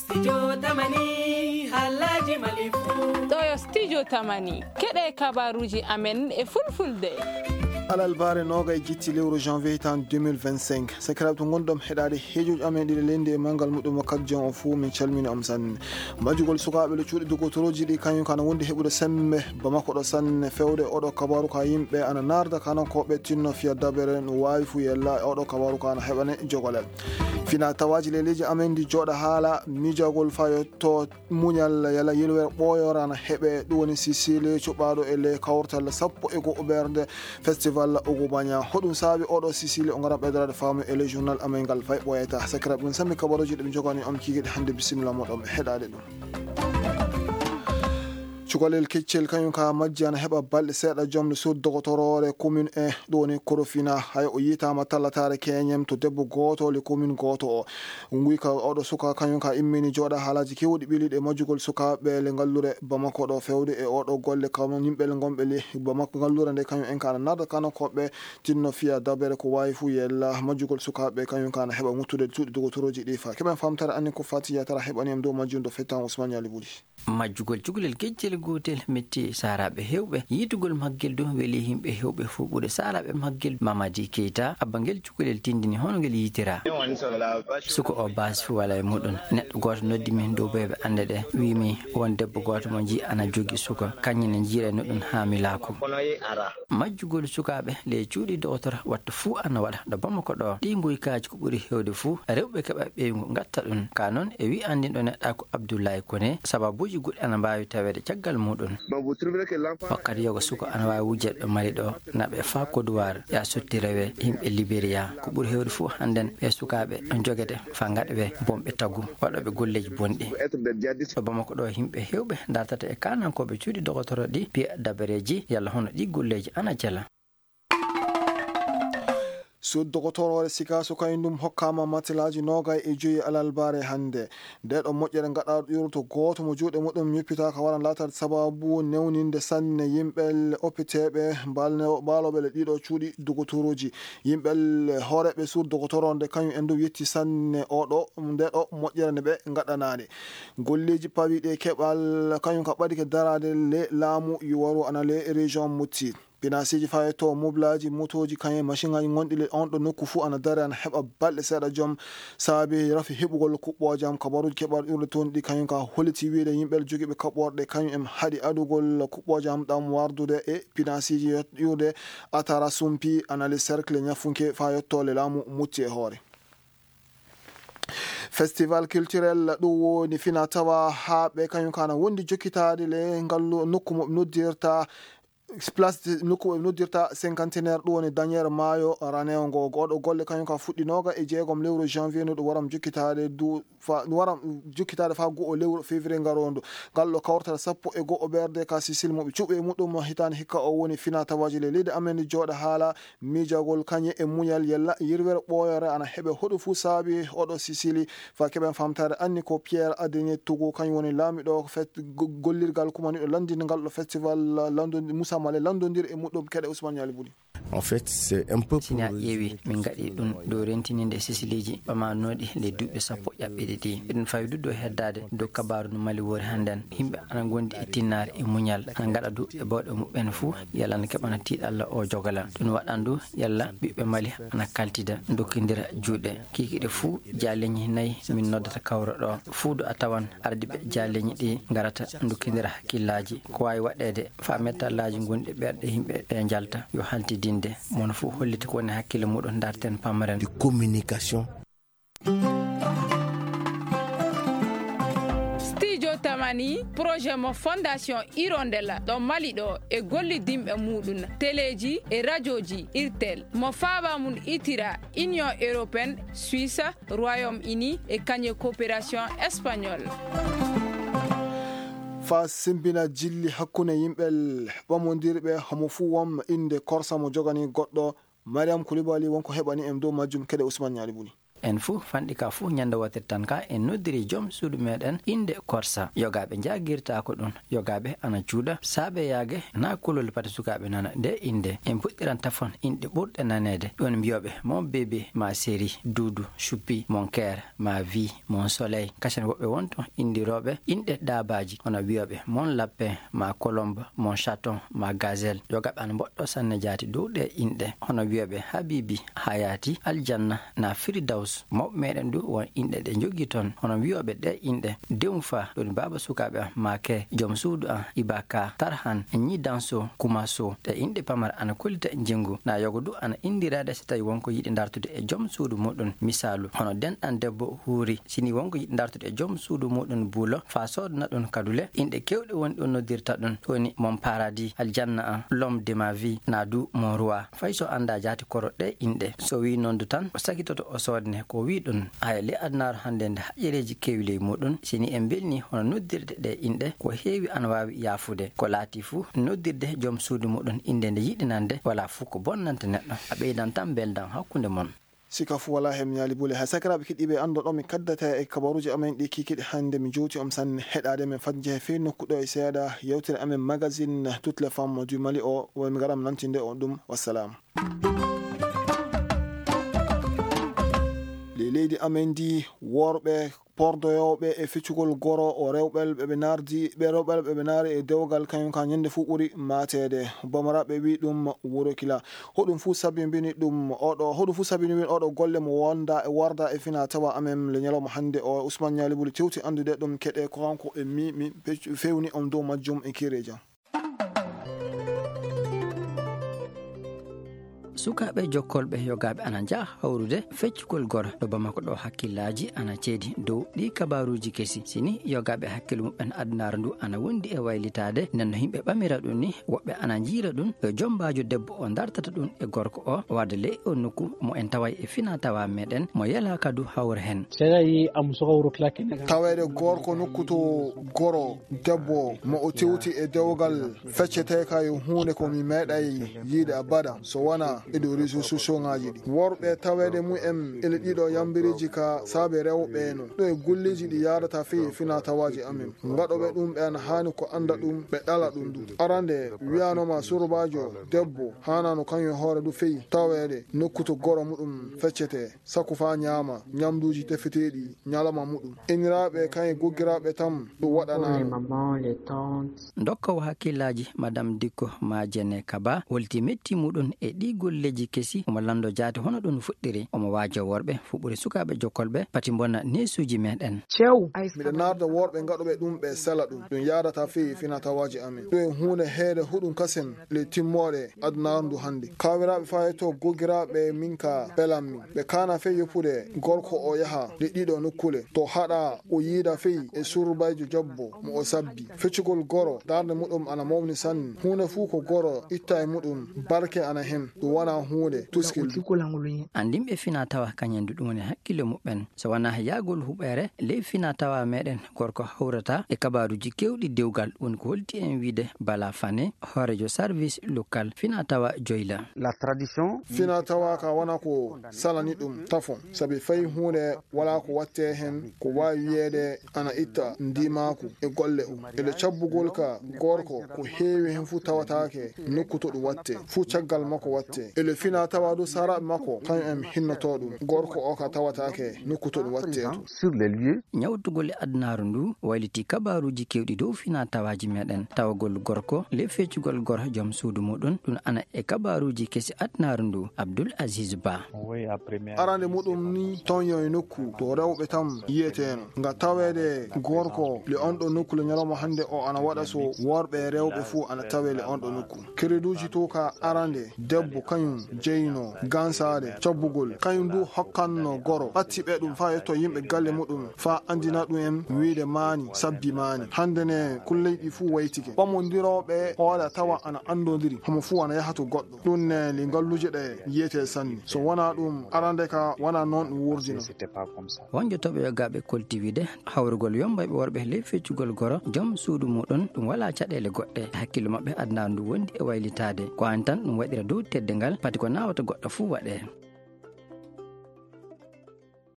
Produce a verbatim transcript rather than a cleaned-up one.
Studio Tamani, haalaaji Mali fuu. Ɗo yo Studio Tamani, keɗe kabaruuji amen e fulfulde. Alarbaare noogay jitti lewru janvier hitaande deux mille vingt-cinq. Sakiraaɓe to ngonɗon heɗaade heejoji amen ɗiɗi leydi e manngal muɗum wakkati jam o fuu, min calmini on sanne. Majjugol sukaaɓe le cuuɗi dogotorooji ɗi kañum kana wondi heɓude semmbe Bamako ɗo sanne fewde oɗo kabaru ka yimɓe ana narda kanankooɓe tinno fiya dabere no waawi fuu yella oɗo kabaru ka ana heɓane jogolel. Fina tawaaji leydi amen ndi jooɗa haala miijagol fayo to muñal yala yilwer ɓooyora ana heɓe ɗum woni Sicile cuɓaaɗo e ley kawtal sappo e go'o ɓernde festival Ogo Baña. Hoɗum saabi oɗo Sicile o ngara ɓeydoraade faamu e ley journal amen ngal fay ɓooyata. Sakiraaɓe ɗum sammi kabaruuji ɗum jogani on kiikiiɗe hannde bisimilla moɗon heɗaade ɗum. Cukalel keccel kañum ka majji ana heɓa balɗe seeɗa jomde suudu dogotoroore commune e ɗo woni Korofina. Hay o yitaama tallataare keñem to debbo gooto le commune gooto o. Nguy ka oɗo suka kañum ka immini jooɗa haalaaji kewɗi ɓiliɗe majjugol sukaaɓe le ngallure Bamako ɗo fewde e oɗo golle kañum yimɓe le ngonɓe le Bamako ngallure nde kañum en ka ana narda kanankooɓe tinno fiya dabere ko waawi fuu yella majjugol sukaaɓe kañum ka ana heɓa ŋuttude cuuɗi dogotorooji ɗi fa. Keɓen famtare anni ko fati yatara heɓani em dow majjum do fettan Ousmane Yali Buli. Majjugol cukalel gejjel gootel metti saaraaɓe heewɓe. Yiitugol maggel du weli yimɓe heewɓe fof ɓure saaraaɓe maggel. Mamadi Keita, abba ngel cukalel tindini hono ngel yiitira. Suka o baasi fof wala e muɗum. Neɗɗo gooto noddi min dow ɓe ɓe annde ɗe, wiimi won debbo gooto mo njii ana jogi suka, kañum ne njiira no ɗum haa mi laako. Majjugol sukaaɓe le cuuɗi dogotora wattu fuu ana waɗa ɗo Bamako ɗo. Ɗi ngoykaaji ko ɓuri heewde fuu, rewɓe keɓa ɓeyngu ngatta ɗum. Ka noon e wi anndinɗo neɗɗa ko Abdoulaye Koné, sababuuji goɗɗi ana mbaawi taweede caggal muɗum. Wakkati yoga suka ana waawi wujjat ɗo Mali ɗo, naɓe faa Côte d'Ivoire, ya sotti rewe yimɓe Libéria. Ko ɓuri heewde fuu hannden ɓe sukaaɓe ɗo jogete faa ngaɗa ɓe bonɓe tagu, waɗooɓe golleeji bonɗi. Ɗo Bamako ɗo yimɓe heewɓe dartata e kaanankooɓe cuuɗi dogotoro ɗi piya dabareeji, yalla hono ɗi golleeji ana jela. Suudu dogotoroore Sikaso kañum ɗum hokkaama matelaaji noogay e joyi alarbaare hannde. Nde ɗo moƴƴere ngaɗaaɗo ƴuurto gooto mo juuɗe muɗum ñuppitaaka waran laataade sababu newninde sanne yimɓe opiteeɓe mbaalne-, mbaalooɓe le ɗiɗo cuuɗi dogotoroji. Yimɓe hooreeɓe suudu dogotoro nde kañum en ɗum yetti sanne oɗo, nde ɗo moƴƴere nde ɓe ngaɗanaade. Golleeji pawiiɗi e keɓal kañum ka ɓadike daraade le laamu yuwaru ana le région Mopti. Pinasiiji fayetto moblaaji motooji kañum e machiŋaaji gonɗi le on ɗo nokku fuu ana dare ana heɓa balɗe seeɗa joom saabi rafi heɓugol kuɓɓoojam. Kabaruuji keɓaaɗo ƴurde toon ɗi kañum ka holliti wiyde yimɓe jogiiɓe kaɓɓorɗe kañum en haɗi adugol kuɓɓoojam ɗam wardude e pinasiiji yot-, ƴurde Atara Sumpi ana le cercle ñafunke faa yotto le laamu Mopti e hoore. Festival culturel ɗum woni fina tawa haa ɓe kañum kana wondi jokkitaade le ngallu nokku mo ɓe noddirta place de, nokku mo ɓe noddirta cinquantenaire ɗum woni Daniel Maayo Ranewo ngo. Goɗɗo golle kañum ka fuɗɗinooga e jeegom lewru janvier no ɗum waram jokkitaade du fa, ɗum waram jokkitaade faa go'o lewru février ngaroondu. Ngal ɗo kawrata sappo e go'o ɓerde ka Sicile mo ɓe cuɓi e muɗum hitaande hikka o woni fina tawaaji le leydi amen jooɗa haala miijagol kañe e muñal yella yirwere ɓooyore ana heɓe hoɗo fuu saabi oɗo Sicili. Faa keɓen famtaare anni ko Pierre Adrien Togo kañum woni laamiɗo fet-, go-, gollirgal kumaniɗo lanndinde ngal ɗo festival lanndo-, Moussa Malé lanndondir e muɗum keɗe Ousmane Yali Buli. En fait, c'est un peu si a ƴeewi min ngaɗi ɗum ɗo rentininde Siciliji ɓamanooɗi le duuɓi sappo ƴaɓɓiɗi ɗi. Eɗen faawi du ɗo heddaade dow kabaaru no Mali wori hannden. Yimɓe ana ngondi e tinnaare e muñal, ana ngaɗa du e bawɗe muɓɓen fuu, yalla ana keɓana tiiɗalla o jogala. Ɗum waɗan du yalla ɓiɓɓe Mali ana kaltida, dokkindira juuɗe. Kiikiiɗe fuu jaaleñi nayi min noddata kawra ɗo. Fuu du a tawan ardiiɓe jaaleñi ɗi ngarata dokkindira hakkillaaji. Ko waawi waɗeede faa mettallaaji gonɗi ɓerɗe yimɓe ɓe njalta yo haltidinde. Mono fuu hollita ko woni hakkille muɗum, darten pamren. De communication. Studio Tamani, projet mo Fondation Hirondelle ɗo Mali ɗo e gollidinɓe muɗum, teleeji e rajooji Irtel, mo faaba mum itira Union Européenne, Suisse, Royaume-Uni e kañum coopération espagnole. Faa simbina jilli hakkunde yimɓe ɓamondirɓe, homo fuu won innde korsa mo jogani goɗɗo. Mariam Koulibaly wonko heɓani en dow majjum keɗe Ousmane Ñaali Buni. En fuu fanɗi ka fuu ñande wootere tan ka en noddiri joom suudu meɗen innde Korsa. Yogaaɓe njaagirtaako ɗum. Yogaaɓe ana cuuɗa saabe yaage na kulol pati sukaaɓe nana nde innde. En puɗɗiran tafon inɗe ɓurɗe naneede. Ɗum mbiyooɓe mon bébé, ma chérie, doudou, choupi, mon cœur, ma vie, mon soleil. Kasen woɓɓe won to inndirooɓe inɗe daabaaji, hono wiyooɓe mon lapin, ma colombe, mon chaton, ma gazelle. Yogaaɓe ana mboɗɗo sanne jaati dow ɗe inɗe, hono wiyooɓe habibi, hayati, aljanna, na firidaws. Mawɓe meɗen du won inɗe ɗe njogii ton, hono wiyooɓe ɗe inɗe, Dewnfa, ɗum baaba sukaaɓe am, Make, joom suudu am, Ibaka, Tarhan, Ñidanso, Kumaso. Ɗe inɗe pamare ana kollita njinngu. Na yogo du ana inndiraade so tawi won ko yiɗi dartude e joom suudu muɗum. Misaalu, hono denɗan debbo huuri. Si ni won ko yiɗi dartude e joom suudu muɗum buulo, faa soodana ɗum kadule, inɗe keewɗe woni ɗum noddirta ɗum. Woni mon paradis, aljanna am, l'homme de ma vie, na du mon roi. Fay so anndaa jaati koro ɗe inɗe. So wii noon du tan, o sakitoto o soodne ko wii ɗum. Haya le adunaaru hannde nde haƴereeji keewi ley muɗum, si ni en mbelni hono noddirde ɗe inɗe, ko heewi ana waawi yaafude. Ko laati fuu, noddirde joom suudu muɗum innde nde yiɗi nande, wala fuu ko bonnanta neɗɗo. A ɓeydan tan mbeldan hakkunde mon. Sika fuu walaa heen ñaali bule. Hay sakiraaɓe keɗiiɓe, anndo ɗo mi kaddata e kabaruuji amen ɗi kikiɗe hannde, mi jooti on sanne heɗaade men fadje he fii nokku ɗo e seeɗa yewtere amen magazine Toutes les femmes du Mali o, woni mi garam nantinde on ɗum. Wassalam. Ley leydi amen ndi, worɓe pordoyooɓe e feccugol goro o rewɓe ɓe ɓe naardi, ɓe rewɓe ɓe ɓe naari e dewgal, kañum ka ñande fuu ɓuri maateede. Bamaraaɓe wi ɗum wuro kila. Hoɗum fuu sabinbini ɗum oɗo, hoɗum fuu sabinbini oɗo golle mo wonda e warda e fina tawa amen le ñalawma hannde o. Ousmane Ñaali Buli tewti anndude ɗum keɗe ko kanko e mi, mi feccu-, fewni on dow majjum e kiire jam. Sukaaɓe jokkolɓe yogaaɓe ana njaha hawrude feccugol goro ɗo Bamako ɗo. Hakkillaaji ana ceedi dow ɗi kabaaruuji kesi. Si ni yogaaɓe hakkille muɓɓen adunaaru ndu ana wondi e waylitaade, nden no yimɓe ɓamira ɗum ni, woɓɓe ana njiira ɗum yo jombaajo debbo o dartata ɗum e gorko o, warde ley o nokku mo en taway e fina tawa meɗen, mo yelaa kadu hawra hen. Taweede gorko nokku to goro debbo mo o tewti e dewgal feccete ka yo huunde ko mi meeɗay yiide abada, so wona e dow réseaux sociaux ŋaaji ɗi. Worɓe taweede mumen ele ɗiɗo yambireeji ka saabe rewɓe no. Ɗo e golleeji ɗi yaadata fii e fina tawaaji amen. Ngaɗooɓe ɗum ɓe ana haani ko annda ɗum, ɓe ɗala ɗum du. Arande wiyanoma surbaajo debbo haanano kañum e hoore du fii taweede nokku to goro muɗum feccete. Saku faa ñaama ñamduuji tefeteeɗi ñalawma muɗum. Inniraaɓe kañe goggiraaɓe tan ɗum waɗanaano. Ndokkowo hakkillaaji, Madame Dikko Majene Kaba, holti metti muɗum e ɗi golleeji kesi. Omo lanndo jaati hono ɗum fuɗɗiri. Omo waajo worɓe fuɓɓude sukaaɓe jokkolɓe pati mbonna neesuuji meɗen. Miɗo naarda worɓe ngaɗuɓe ɗum ɓe sela ɗum. Ɗum yaadata fii fina tawaaji amen. Ɗum e huunde heede huɗum kasen le timmooɗe adunaaru ndu hannde. Kawiraaɓe faa yetto goggiraaɓe min ka pelammi. Ɓe kaana fey yoppude gorko o yaha ɗe ɗiɗo nokkule. To haɗa o yiida fey e surbayjo jobbo mo o sabbi. Feccugol goro, darnde muɗum ana mawni sanne. Huunde fuu ko goro itta e muɗum, barke ana hen. Ɗum wona huunde tuskil. Andinɓe fina tawa kañen du ɗum woni hakkille muɓɓen. So wonaa yaagol huɓeere ley fina tawa meɗen, gorko hawrata e kabaaruuji keewɗi dewgal. Woni ko holti en wiide Bala Fane, hooreejo service local fina tawa Joyla. Fina tawa ka wona ko salani ɗum tafon, sabi fay huunde wala ko watte hen ko waawi wiyeede ana itta ndimaaku e golle o. E le cabbugol ka gorko ko heewi hen fuu tawataake nokku to ɗum watte, fuu caggal makko watte. E le fina tawa du saraaɓe makko, kañum en hinnoto ɗum. Gorko o ka tawataake nokku to ɗum watte to. Ñawtugol e adunaaru ndu wayliti kabaaruuji keewɗi dow fina tawaaji meɗen. Tawagol gorko le feccugol gor joom suudu muɗum, ɗum ana e kabaaruuji kesi adunaaru ndu. Abdul Aziz Ba. Arande muɗum ni, toño e nokku to rewɓe tan yiyeteeno. Nga taweede gorko le on ɗo nokku le ñalawma hannde o ana waɗa so worɓe e rewɓe fuu ana tawe le on ɗo nokku. Kereduuji to ka arande, debbo kañum jeyno gansaade cabbugol. Kañum du hokkanno goro, ɓatti ɓe ɗum faa yetto yimɓe galle muɗum, faa andina ɗum en wiide maani, sabbi maani. Hannde ne kulleyɗi fuu waytike. Ɓamondirooɓe hoore a tawa ana andondiri, homo fuu ana yaha to goɗɗo. Ɗum ne li ngalluuje ɗe yiyete sanne. So wonaa ɗum, arande ka wonaa noon ɗum wurdino. Wonjotooɓe yogaaɓe kolti wiide, hawrugol yombayɓe worɓe ley feccugol goro joom suudu muɗum, ɗum walaa caɗeele goɗɗe. Hakkillo maɓɓe adunaaru ndu wondi e waylitaade. Ko an tan ɗum waɗira dow teddungal, pati ko naawata goɗɗo fuu waɗee.